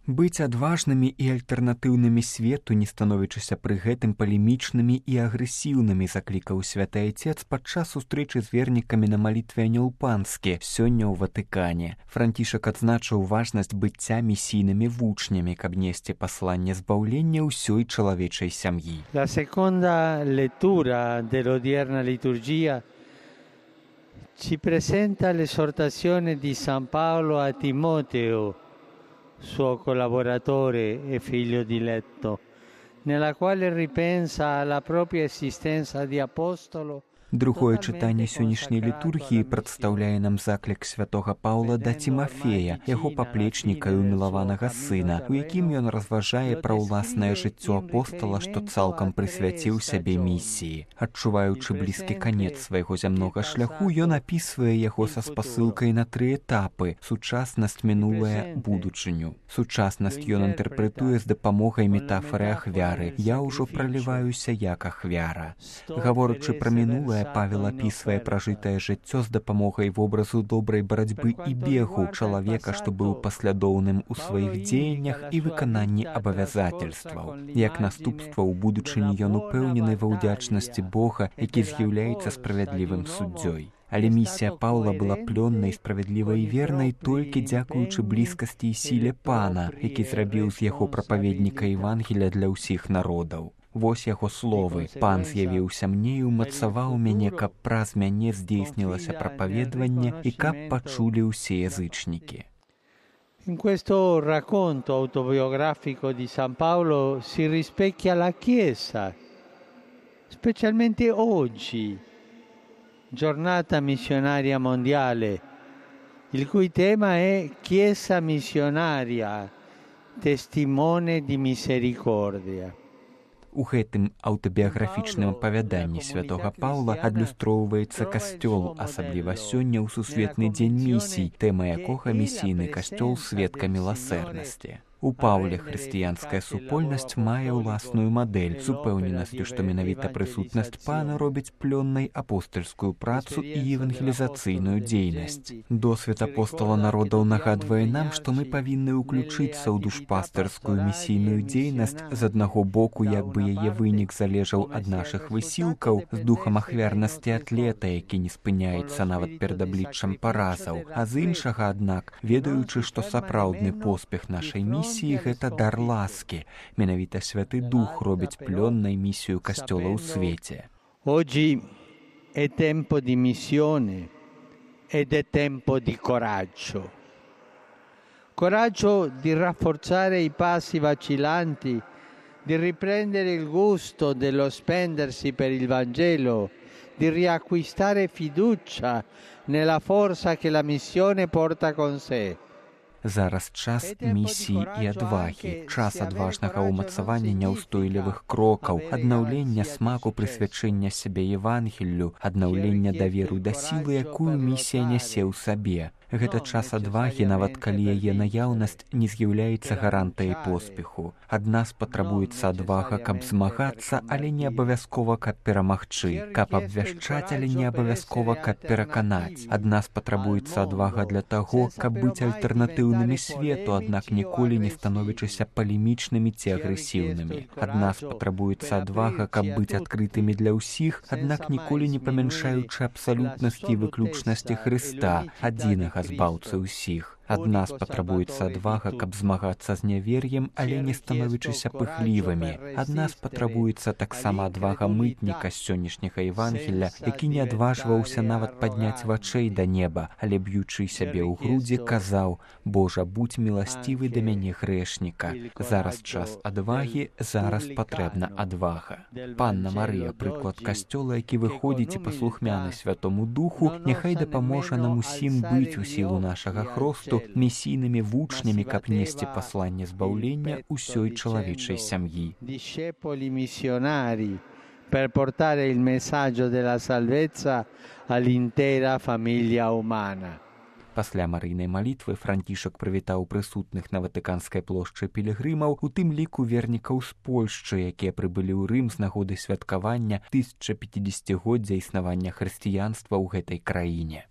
Быць адважнымі і альтэрнатыўнымі свету, не становячыся пры гэтым палемічнымі і агрэсіўнымі, заклікаў святы Айцец падчас сустрэчы з вернікамі на малітве Анёл Панскі сёння ў Ватыкане. Францішак адзначыў важнасць быцця місійнымі вучнямі, каб несці пасланне збаўлення ўсёй чалавечай сям'і. La seconda lettura dell'odierna liturgia ci presenta l'esortazione di San Paolo a Timoteo, suo collaboratore e figlio diletto, nella quale ripensa alla propria esistenza di apostolo. Другое чытанне сённяшняй літургіі прадстаўляе нам заклік святога Паўла да Тимафея, яго паплечніка і умілаванага сына, у якім ён разважае пра ўласнае жыццё апостала, што цалкам прысвяціў сябе місіі. Адчуваючы блізкі канец свайго зямнога шляху, ён апісвае яго са спасылкай на 3 этапы: сучаснасць, мінулае, будучыню. Сучаснасць ён інтэрпрэтуе з дапамогай метафары ахвяры. Я ўжо праліваюся як ахвяра. Гаворачы пра мінулае, Павел апісвае пражытае жыццё з дапамогай вобразу добрай барацьбы і бегу чалавека, што быў паслядоўным у сваіх дзеяннях і выкананні абавязательстваў. Як наступства ў будучыні ён упэўнены ва ўдзячнасці Бога, які з'яўляецца справядлівым суддзёй. Але місія Паўла была плённай, справядлівай і вернай толькі дзякуючы блізкасці і сіле Пана, які зрабіў з яго прапаведніка Евангелія для ўсіх народаў. Вось яго словы: «Пан з'явіўся мне і ўмацаваў мяне, каб праз мяне здзейснілася прапаведванне і каб пачулі ўсе язычнікі». In questo racconto autobiografico di San Paolo si rispecchia la Chiesa, specialmente oggi, giornata missionaria mondiale, il cui tema è Chiesa missionaria, testimone di misericordia. У гэтым аўтабіяграфічным апавяданні святога Паўла адлюстроўваецца касцёл, асабліва сёння ў сусветны дзень місій, тэма якога місійны касцёл сведка міласэрнасці. У Паўле хрысціянская супольнасць мае ўласную мадэль з упэўненасцю, што менавіта прысутнасць Пана робіць плённай апостальскую працу і евангелізацыйную дзейнасць. Досвед апостала народаў нагадвае нам, што мы павінны ўключыцца ў душпастарскую місійную дзейнасць, з аднаго боку, як бы яе вынік залежаў ад нашых высілкаў, з духам ахвярнасці атлета, які не спыняецца нават перад абліччам паразаў, а з іншага, аднак, ведаючы, што сапраўдны поспех нашай місіі гэта дар ласкі. Менавіта Святы Дух робіць плённай місію касцёла ў свеце. Oggi è tempo di missione ed è tempo di coraggio. Coraggio di rafforzare i passi vacillanti, di riprendere il gusto dello spendersi per il Vangelo, di riacquistare fiducia nella forza che la missione porta con sé. Зараз час місіі і адвагі, час адважнага ўмацавання няўстойлівых крокаў, аднаўлення смаку прысвячэння сябе Евангеллю, аднаўлення даверу да сілы, якую місія нясе ў сабе. Гэта час адвагі, нават калі яе наяўнасць не з'яўляецца гарантыяй поспеху. Ад нас патрабуецца адвага, каб змагацца, але не абавязкова, каб перамагчы, каб абвяшчаць, але не абавязкова, каб пераканаць. Ад нас патрабуецца адвага для таго, каб быць альтэрнатыўнымі свету, аднак ніколі не становячыся палемічнымі ці агрэсіўнымі. Ад нас патрабуецца адвага, каб быць адкрытымі для ўсіх, аднак ніколі не памяншаючы абсалютнасці і выключнасці Хрыста, адзінага збаўцы ўсіх. Ад нас патрабуецца адвага, каб змагацца з нявер'ем, але не становячыся пыхлівымі. Ад нас патрабуецца таксама адвага мытніка з сённяшняга Евангелля, які не адважваўся нават падняць вачэй да неба, але б'ючы сябе ў грудзі, казаў: «Божа, будзь міласцівы да мяне грэшніка». Зараз час адвагі, зараз патрэбна адвага. Панна Марыя, прыклад касцёла, які выходзіць і паслухмяны Святому Духу, няхай дапаможа нам усім быць у сілу нашага хросту місійнымі вучнямі, каб несці пасланне збаўлення ўсёй чалавечай сям'і. Discepoli missionari per portare il messaggio della salvezza all'intera famiglia umana. Пасля марыйнай малітвы Францішак прывітаў прысутных на Ватыканскай плошчы пілігрымаў, у тым ліку вернікаў з Польшчы, якія прыбылі ў Рым з нагоды святкавання 1050-годдзя існавання хрысціянства ў гэтай краіне.